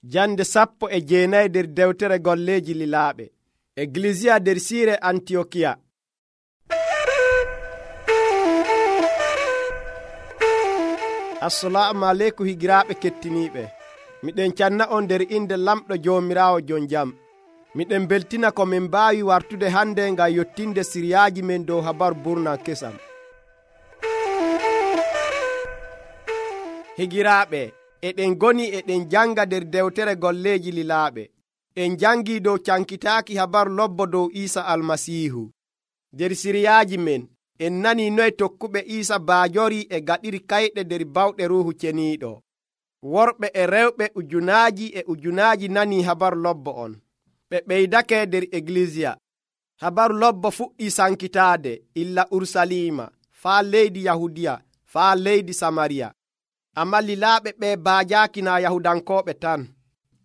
Jande 19 nder dewtere golleeji lilaaɓe. Eglisiya nder siire Antiyokiya. Assalamu aleykum higiraaɓe kettiniiɓe. Miɗen canna on nder inde lamɗo Joomiraawo jon jam. Miɗen beltina ko min mbaawi wartude hande ngam yottinde siriyaaji men dow habaru burnan kesam. Higiraaɓe, eɗen goni eɗen janga nder dewtere golleeji lilaaɓe. En jangi dow cankitaaki habaru lobbo dow Iisa almasiihu. Nder siriyaaji men en nani noye tokkuɓe Iisa baajori e gaɗiri kayɗe nder bawɗe Ruuhu Ceniiɗo. Worɓe e rewɓe ujunaaji nani habaru lobbo on. Ɓe ɓeydake nder Eglisiya. Habaru lobbo fuɗɗi sankitaade illa Urusalima faa leydi Yahudiya faa leydi Samariya. Amma lilaaɓe ɓe baajaaki na Yahudankooɓe tan.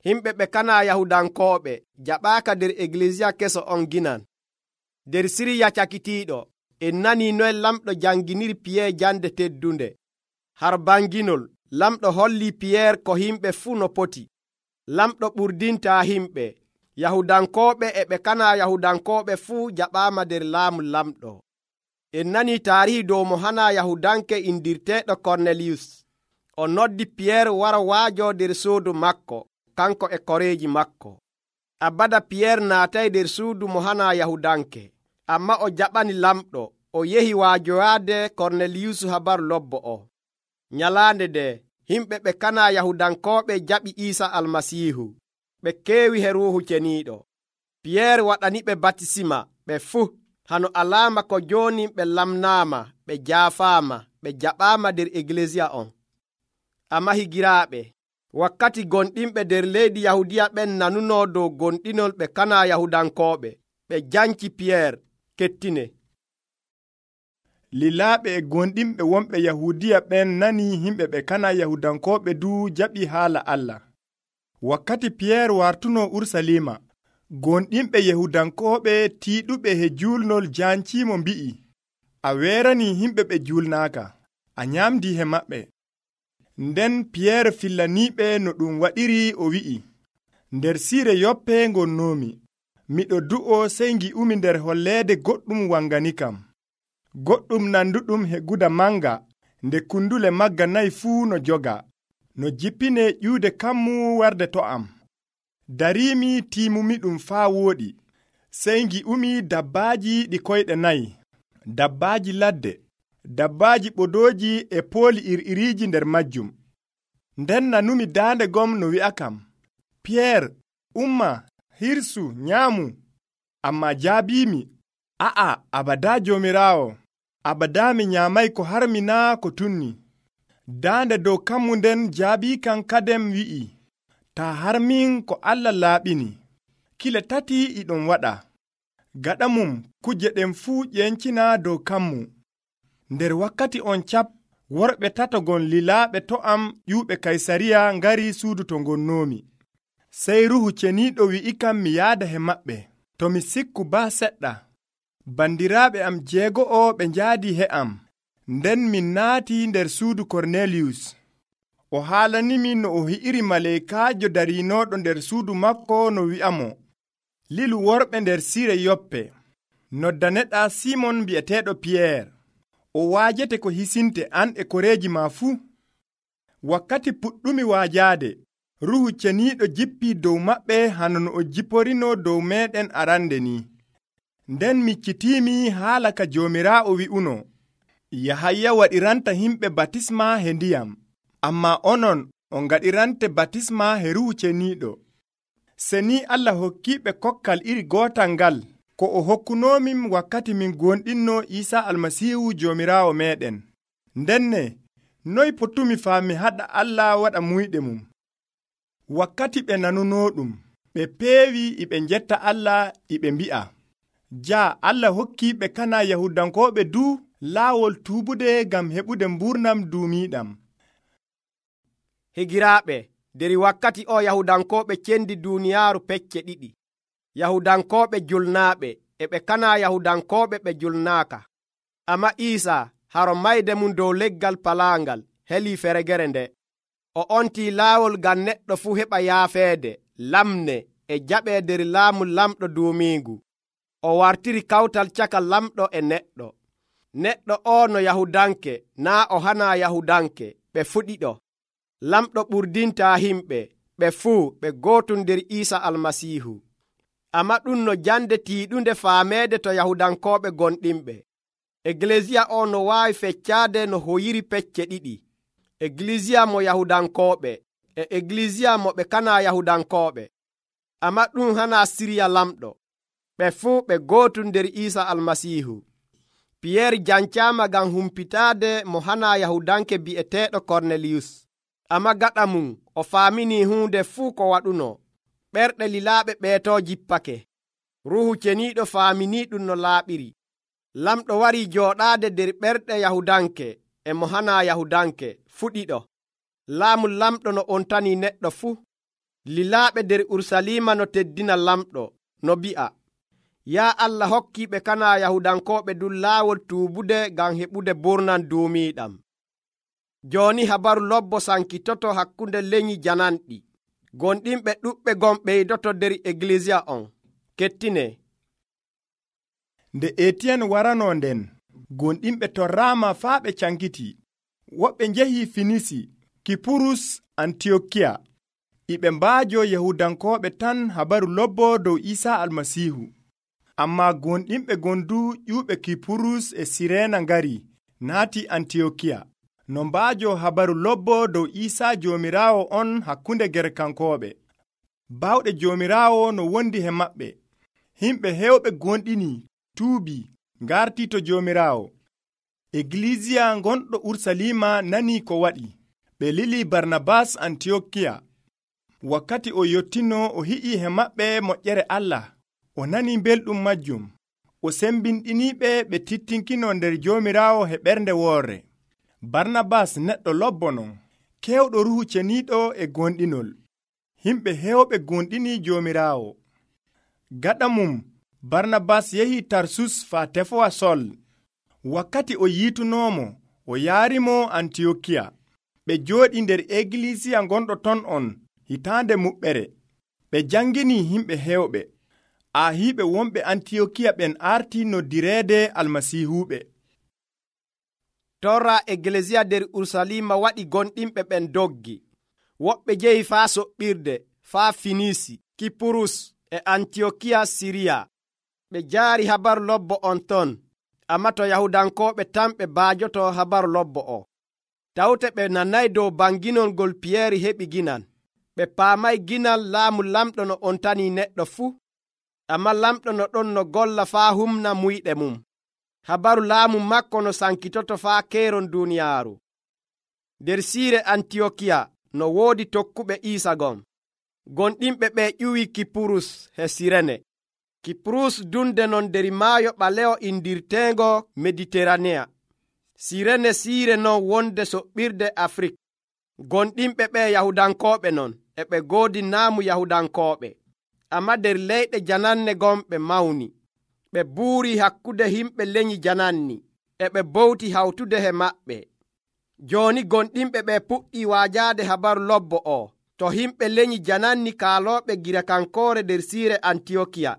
Himɓe ɓe kana Yahudankooɓe jaɓaaka nder Eglisiya keso on ginan. Nder siriya cakitiiɗo en nani noye lamɗo janginiri Piyeer jande teddunde. Har banginol lamɗo holli Piyeer ko himɓe fuu no poti. Lamɗo ɓurdintaa himɓe. Yahudankooɓe e ɓe kana Yahudankooɓe fuu jaɓaama nder laamu lamɗo. En nani taarihi dow mo hana Yahudanke indirteeɗo Korneliyus. O noddi Piyeer wara waajo nder suudu makko, kanko e koreeji makko. Abada Piyeer naatay nder suudu mo hana Yahudanke, amma o jaɓani lamɗo. O yehi waajoyaade Korneliyus habaru lobbo o. Nyalaande nde, himɓe ɓe kana Yahudankooɓe jaɓi Iisa almasiihu. Ɓe keewi he Ruuhu Ceniiɗo. Piyeer waɗaniɓe batisima ɓe fuu, hano alaama ko jooni ɓe lamnaama, ɓe jaafaama, ɓe jaɓaama nder Eglisiya on. Amma higiraaɓe, wakkati gonɗinɓe nder leydi Yahudiya ɓen nanunoo dow gonɗinol ɓe kana Yahudankooɓe, ɓe janci Piyeer. Kettine. Lilaaɓe e gonɗinɓe wonɓe Yahudiya ɓen nani himɓe ɓe kana Yahudankooɓe du jaɓi haala Allah. Wakkati Piyeer wartuno Urusalima, gonɗinɓe Yahudankooɓe tiiɗuɓe he julnol janciimo mbi'i, a weerani himɓe ɓe julnaaka, a nyamdi he maɓɓe. Nden Piyeer fillaniiɓe no ɗum waɗiri o wi'i, nder siire Yoppe ngonnoomi, miɗo du'o sey ngi'umi nder holleede goɗɗum wanganikam. Goɗɗum nanduɗum he guda manga, nde kundule magga nayi fuu no joga, no jippine ƴuude kammu warde to am. Dariimi tiimumi ɗum faa wooɗi, sey ngi'umi dabbaaji ɗi koyɗe nayi, dabbaaji ladde, dabbaaji ɓodooji e pooli iriiriiji nder majjum. Nden nanumi daande gom no wi'akam, Piyeer, umma, hirsu, nyaamu. Ammaa jaabiimi, a'a, abadaa Joomiraawo, abadaa mi nyaamay ko harmi naa ko tunni. Daande dow kammu nden jaabiikam kadem wi'i, taa harmin ko Allah laaɓini. Kile 3 iɗon waɗa. Gaɗa mum kuje ɗen fuu ƴencina dow kammu. Nder wakkati on cap, worɓe 3 gon lilaaɓe to am ƴuuɓe Kaysariya ngari suudu to ngonnoomi. Sey Ruuhu Ceniiɗo wi'ikam mi yaada he maɓɓe. To mi sikku baa seɗɗa. Bandiraaɓe am 6 ɓe njaadi he am. Nden min naati nder suudu Korneliyus. O haalanimi no o hi'iri maleykaajo dariinooɗo nder suudu makko no wi'amo, lilu worɓe nder siire Yoppe. Noddaneɗaa Simon bi'eteeɗo Piyeer. O waajete ko hisinte an e koreeji maa fuu. Wakkati puɗɗumi waajaade, Ruuhu Ceniiɗo jippii dow maɓɓe hano no o jipporino dow meeɗen arande ni. Nden miccitiimi haala ka Joomiraawo wi'uno, Yahaya waɗiranta himɓe batisma he ndiyam, ammaa onon on ngaɗirante batisma he Ruuhu Ceniiɗo. Se ni Allah hokkiiɓe kokkal iri gootal ngal, ko o hokkunoomin wakkati min gonɗinno Iisa almasiihu Joomiraawo meeɗen. Ndenne, noy potumi faami haɗa Allah waɗa muyɗe mum? Wakkati ɓe nanunoo ɗum, ɓe peewi iɓe njetta Allah iɓe mbi'a, jaa Allah hokki ɓe kana Yahudankooɓe du laawol tuubude ngam heɓude mburnam duumiiɗam. Higiraaɓe, nder wakkati o Yahudankooɓe cendi duuniyaaru pecce 2. Yahudankooɓe julnaaɓe e ɓe kana Yahudankooɓe ɓe julnaaka. Amma Iisa haro mayde mum dow leggal palaangal helii feregere nde. o ontii laawol ngam neɗɗo fuu heɓa yaafeede, lamne e jaɓee nder laamu lamɗo duumiigu. O wartiri kawtal caka lamɗo e neɗɗo. Neɗɗo o no Yahudanke naa o hanaa Yahudanke, ɓe fuu ɗiɗo. Lamɗo ɓurdintaa himɓe, ɓe fuu ɓe gootum nder Iisa Almasiihu. Ammaa ɗum no jande tiiɗunde faameede to Yahudankooɓe gonɗinɓe. Egleesiya o no waawi feccaade no hoyiri pecce ɗiɗi: egleesiya mo Yahudankooɓe e egleesiya mo ɓe kanaa Yahudankooɓe. Ammaa ɗum hanaa sirya lamɗo. Ɓe fuu ɓe gootum nder Iisa Almasiihu. Piyeer jancaama ngam humpitaade mo hanaa Yahudanke bi'eteeɗo Korneliyus. Ammaa gaɗa mum o faaminii huunde fuu ko waɗuno. Ɓerɗe lilaaɓe ɓeetoo jippake. Ruuhu Ceniiɗo faaminii ɗum no laaɓiri. Lamɗo warii jooɗaade nder ɓerɗe Yahudanke e mo hanaa Yahudanke fuu ɗiɗo. Laamu lamɗo no ontanii neɗɗo fuu. Lilaaɓe nder Urusalima no teddina lamɗo, no bi'a: yaa Allah hokkii ɓe kanaa Yahudankooɓe ɗum laawol tuubude ngam heɓude ɓurnan duumiiɗam. Jooni habaru lobbo sankitoto hakkunde lenyyi jananɗi. Gonɗinɓe ɗuɓɓe gon ɓeydoto nder egleesiya on. Kettine. Nde Etiyen waranoo nden, gonɗinɓe torraama faa ɓe cankiti. Woɓɓe njehii Finisi, Kipurus, Antiyokiya. Iɓe mbaajo Yahudankooɓe tan habaru lobbo dow Iisa Almasiihu. Ammaa gonɗinɓe gondu ƴuuɓe Kipurus e Sireena ngari naati Antiyokiya. No mbaajo habaru lobbo dow Iisa Joomiraawo on hakkunde Gerkankooɓe. Baawɗe Joomiraawo no wondi he maɓɓe. Himɓe heewɓe gonɗini tuubii ngartii to Joomiraawo. Egleesiya gonɗo Urusalima nanii ko waɗi. Ɓe lili Barnabas Antiyokiya. Wakkati o yottino o hi'ii he maɓɓe moƴƴere Allah. O nanii belɗum majjum. O sembinɗiniiɓe ɓe tittinkino nder Joomiraawo he ɓernde woorre. Barnabas neɗɗo lobbonon, kewɗo Ruuhu Ceniiɗo e gonɗinol. Himɓe heewɓe gonɗini Joomiraawo. Gaɗa mum, Barnabas yahii Tarsus faa tefowa Sol. Wakkati o yiitunoomo, o yaarimo Antiyokiya. Ɓe jooɗi nder egleesiya gonɗo ton on hitaande muɓɓere. Ɓe janngini himɓe heewɓe. Ahiiɓe wonɓe Antiyokiya ɓen arti noddireede almasiihuɓe. Torra egleesiya nder Urusalima waɗi gonɗinɓe ɓen doggi. Woɓɓe jehi faa soɓɓirde, faa Finisi, Kipurus e Antiyokiya Siriya. Ɓe jaari habaru lobbo on ton, ammaa to Yahudankooɓe tan ɓe baajoto habaru lobbo o. Tawte ɓe nanay dow banginol ngol Piyeeri heɓi ginan. Ɓe paamay ginal laamu lamɗo no ontanii neɗɗo fuu. Ammaa lamɗo no ɗon no golla faa humna muyɗe mum. Habaru laamu makko no sankitoto faa keeron duuniyaaru. Nder siire Antiyokiya no woodi tokkuɓe Iisa gon. Gonɗinɓe ɓe ƴuwi Kipurus he Sirene. Kipurus dunde non nder maayo ɓalewo indirteengo Mediteraneya. Sirene siire non wonde soɓɓirde Afrik. Gonɗinɓe ɓe Yahudankooɓe non e ɓe goodi naamu Yahudankooɓe. Ammaa nder leyɗe jananne gon ɓe mawni. Ɓe buurii hakkude himɓe lenyyi jananni, e ɓe bowti hawtude he maɓɓe. Jooni gonɗinɓe ɓe puɗɗii waajaade habaru lobbo o to himɓe lenyyi jananni kaalooɓe Girakankoore nder siire Antiyokiya.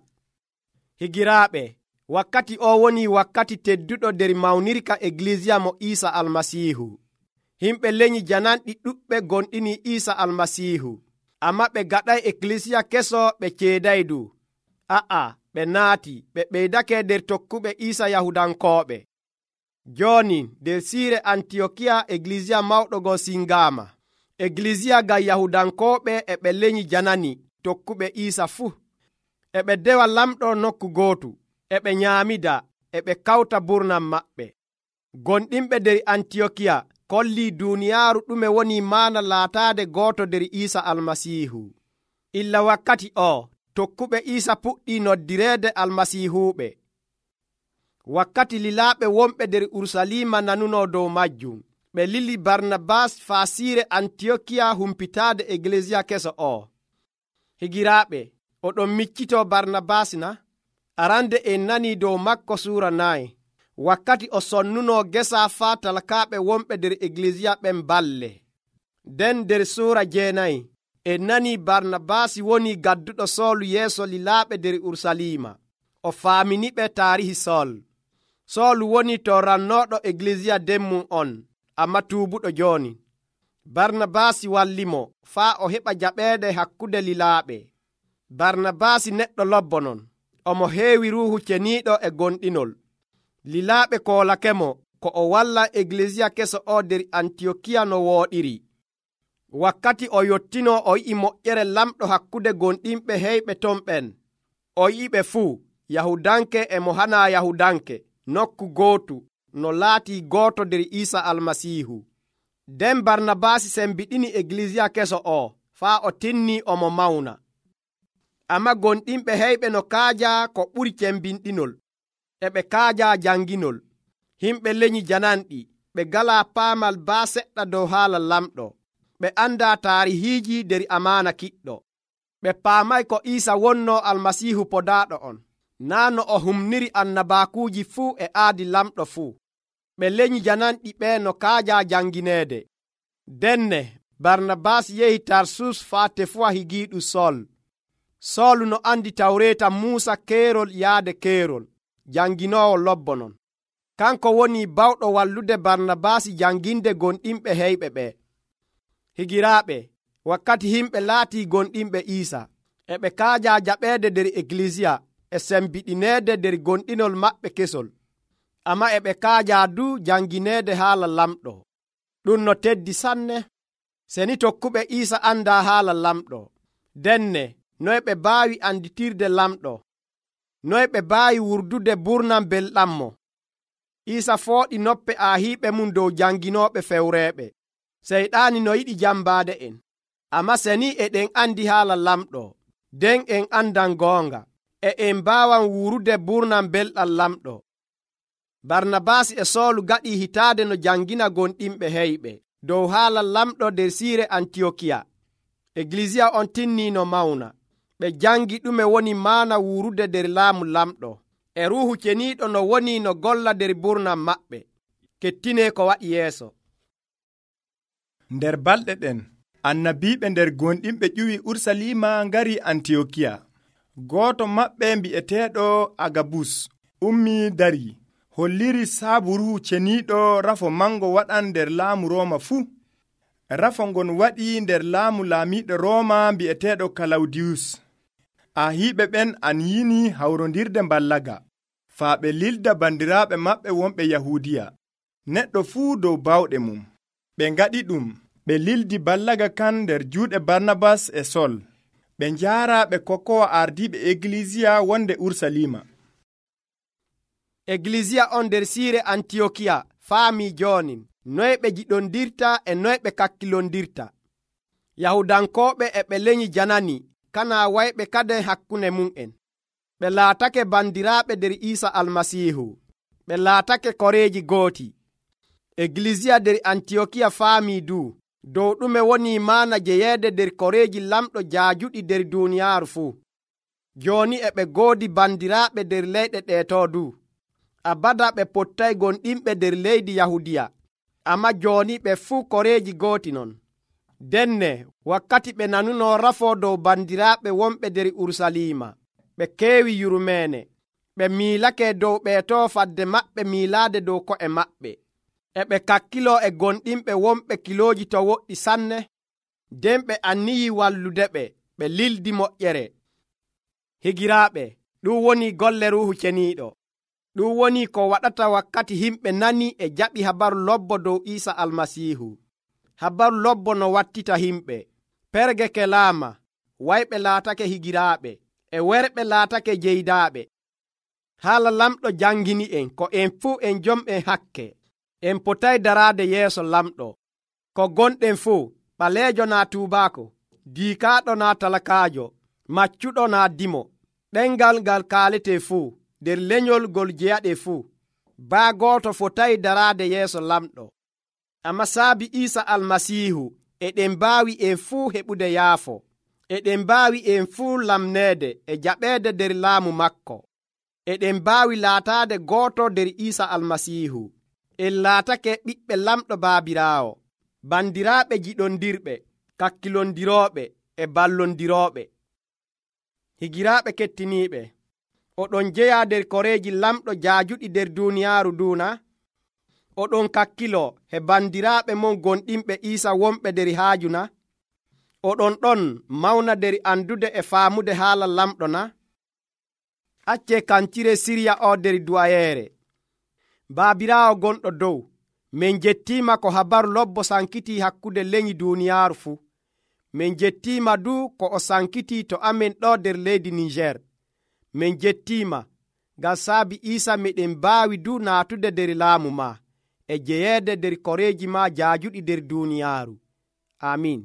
Higiraaɓe, wakkati o woni wakkati tedduɗo nder mawnirka egleesiya mo Iisa Almasiihu. Himɓe lenyyi jananɗi ɗuɓɓe gonɗini Iisa Almasiihu, ammaa ɓe gaɗay egleesiya keso ɓe ceeday du. Ɓe naati ɓe ɓeydake nder tokkuɓe Iisa Yahudankooɓe. Jooni nder siire Antiyokiya egleesiya mawɗo go singaama. Egleesiya ngam Yahudankooɓe e ɓe lenyyi janani tokkuɓe Iisa fuu. E ɓe dewa lamɗo nokku gootu, e ɓe nyaamida, e ɓe kawta burnam maɓɓe. Gonɗinɓe nder Antiyokiya kollii duuniyaaru ɗume woni maana laataade gooto nder Iisa Almasiihu. Illa wakkati o, tokkuɓe Iisa puɗɗii noddireede almasiihuuɓe. Wakkati lilaaɓe wonɓe nder Urusalima nanuno dow majjum, ɓe lili Barnabas faa siire Antiyokiya humpitaade egleesiya keso o. Higiraaɓe, oɗon miccitoo Barnabas na? Arande en nanii dow makko suura 9. Wakkati o sonnunoo gesa faa talkaaɓe wonɓe nder egleesiya ɓen balle. nden nder suura 9 en nani Barnabaasi woni gadduɗo Soolu yeeso lilaaɓe nder Urusalima. O faaminiɓe taarihi Soolu woni to rannooɗo Eglisiya demmum on, amma tuubuɗo jooni. Barnabaasi wallimo faa o heɓa jaɓeede hakkunde lilaaɓe. Barnabaasi neɗɗo lobbonon, omo heewi Ruuhu Ceniiɗo e gonɗinol. Lilaaɓe koolakemo ko o walla Eglisiya keso o nder Antiyokiya no wooɗiri. Wakkati o yottino o yi'i moƴƴere lamɗo hakkunde gonɗinɓe heyɓe ton ɓen. O yi'iɓe fuu, Yahudanke e mo hana Yahudanke, nokku gootu, no laatii gooto nder Iisa Almasiihu. Nden Barnabaasi sembiɗini Eglisiya keso o faa o tinnii omo mawna. Amma gonɗinɓe heyɓe no kaaja ko ɓuri cembinɗinol, e ɓe kaaja janginol. Himɓe lenyi jananɗi, ɓe galaa paamal baa seɗɗa dow haala lamɗo. Ɓe andaa taarihiiji nder amaana kiɗɗo. Ɓe paamay ko Iisa wonno Almasiihu podaaɗo on, naa no o humniri annabaakuuji fuu e aadi lamɗo fuu. Ɓe lenyi jananɗi ɓe no kaaja jangineede. Denne Barnabaasi yehi Tarsus faa tefuwa higiiɗum Soolu no andi Tawreeta Muusa keerol yaade keerol, janginoowo lobbonon. Kanko woni bawɗo wallude Barnabaasi janginde gonɗinɓe heyɓe ɓe. Higiraaɓe, wakkati himɓe laatii gonɗinɓe Iisa, e ɓe kaaja jaɓeede nder Eglisiya e sembiɗineede nder gonɗinol maɓɓe kesol, amma e ɓe kaaja du jangineede haala lamɗo. Ɗum no teddi sanne. Seni tokkuɓe Iisa andaa haala lamɗo, denne noye ɓe baawi anditirde lamɗo, noye ɓe baawi wurdude burnam belɗammo. Iisa fooɗi noppe aahiiɓe mum dow janginooɓe fewreeɓe. Seyɗaani no yiɗi jambaade en, amma seni eɗen andi haala lamɗo, nden en andan goonga, e en mbaawan wuurude burnam belɗam lamɗo. Barnabaasi e Soolu gaɗii hitaade no jangina gonɗinɓe heyɓe dow haala lamɗo nder siire Antiyokiya. Eglisiya on tinnii no mawna. Ɓe jangi ɗume woni maana wuurude nder laamu lamɗo, e Ruuhu Ceniiɗo no woni no golla nder burnam maɓɓe. Kettinee ko waɗi yeeso. Nder balɗe ɗen, annabiiɓe nder gonɗinɓe ƴuwi Urusalima ngari Antiyokiya. Gooto maɓɓe mbi'eteeɗo Agabus ummii darii, holliri saabu Ruuhu Ceniiɗo rafo mango waɗan nder laamu Rooma fuu. Rafo ngon waɗi nder laamu laamiiɗo Rooma mbi'eteeɗo Kalawdiyus. Ahiiɓe ɓen anyini hawrondirde mballaga, faa ɓe lilda bandiraaɓe maɓɓe wonɓe Yahuudiya, neɗɗo fuu dow bawɗe mum. Ɓe ngaɗi ɗum, ɓe lildi ballaga kan nder juuɗe Barnabas e Sol. Ɓe njaara ɓe kokkowa ardiiɓe Eglisiya wonde Urusalima. Eglisiya on nder siire Antiyokiya faamii jooni noye ɓe jiɗondirta e noye ɓe kakkilondirta. Yahudankooɓe e ɓe lenyi janani, kana wayɓe kade hakkunde mum'en. Ɓe laatake bandiraaɓe nder Iisa Almasiihu. Ɓe laatake koreeji gooti. Eglisiya nder Antiyokiya faamii dow ɗume woni maana jeyeede nder koreeji lamɗo jaajuɗi nder duuniyaaru fuu. Jooni e ɓe goodi bandiraaɓe nder leyɗe ɗeetoo abada ɓe pottay gonɗinɓe nder leydi Yahudiya, amma jooni ɓe fuu koreeji gooti non. Denne wakkati ɓe nanuno rafoo dow bandiraaɓe wonɓe nder Urusalima, ɓe keewi yurmeene. Ɓe miilake dow ɓeetoo fadde maɓɓe miilaade dow ko'e maɓɓe. E ɓe kakkiloo e gonɗinɓe wonɓe kilooji to woɗɗi sanne, nden ɓe anniyii wallude ɓe, ɓe lildi moƴƴere. Higiraaɓe, ɗum woni golle Ruuhu Ceniiɗo. Ɗum woni ko waɗata wakkati himɓe nani e jaɓi habaru lobbo dow Iisa Almasiihu. Habaru lobbo no wattita himɓe. Perge kelaama, wayɓe laatake higiraaɓe, e werɓe laatake jeydaaɓe. Haala lamɗo jangini en ko en fuu en jom'en hakke. En potay daraade yeeso lamɗo. Ko gonɗen fuu, ɓaleejo naa tuubaako, diikaaɗo naa talakaajo, maccuɗo naa dimo, ɗengal ngal kaaletee fuu, nder lenyol ngol jeyaɗe fuu, baa gooto fotay daraade yeeso lamɗo. Amma saabi Iisa Almasiihu, eɗen mbaawi en fuu heɓude yaafo. Eɗen mbaawi en fuu lamneede e jaɓeede nder laamu makko. Eɗen mbaawi laataade gooto nder Iisa Almasiihu. En laatake ɓiɓɓe lamɗo baabiraawo. bandiraaɓe jiɗondirɓe, kakkilondirooɓe e ballondirooɓe. Higiraaɓe kettiniiɓe, oɗon jeya nder koreeji lamɗo jaajuɗi nder duuniyaaru duuna. Oɗon kakkilo he bandiraaɓe mon gonɗinɓe Iisa wonɓe nder haaju na? Oɗon ɗon mawna nder andude e faamude haala lamɗo na? Accee kancire sirya o nder duwayeere. Baabiraawo gonɗo dow, min jettiima ko habaru lobbo sankitii hakkunde lenyi duuniyaaru fuu. Min jettiima du ko o sankitii to amen ɗo nder leydi Niger. Min jettiima ngam saabi Iisa miɗen mbaawi du naatude nder laamu ma e jeyeede nder koreeji ma jaajuɗi nder duuniyaaru. Amiin.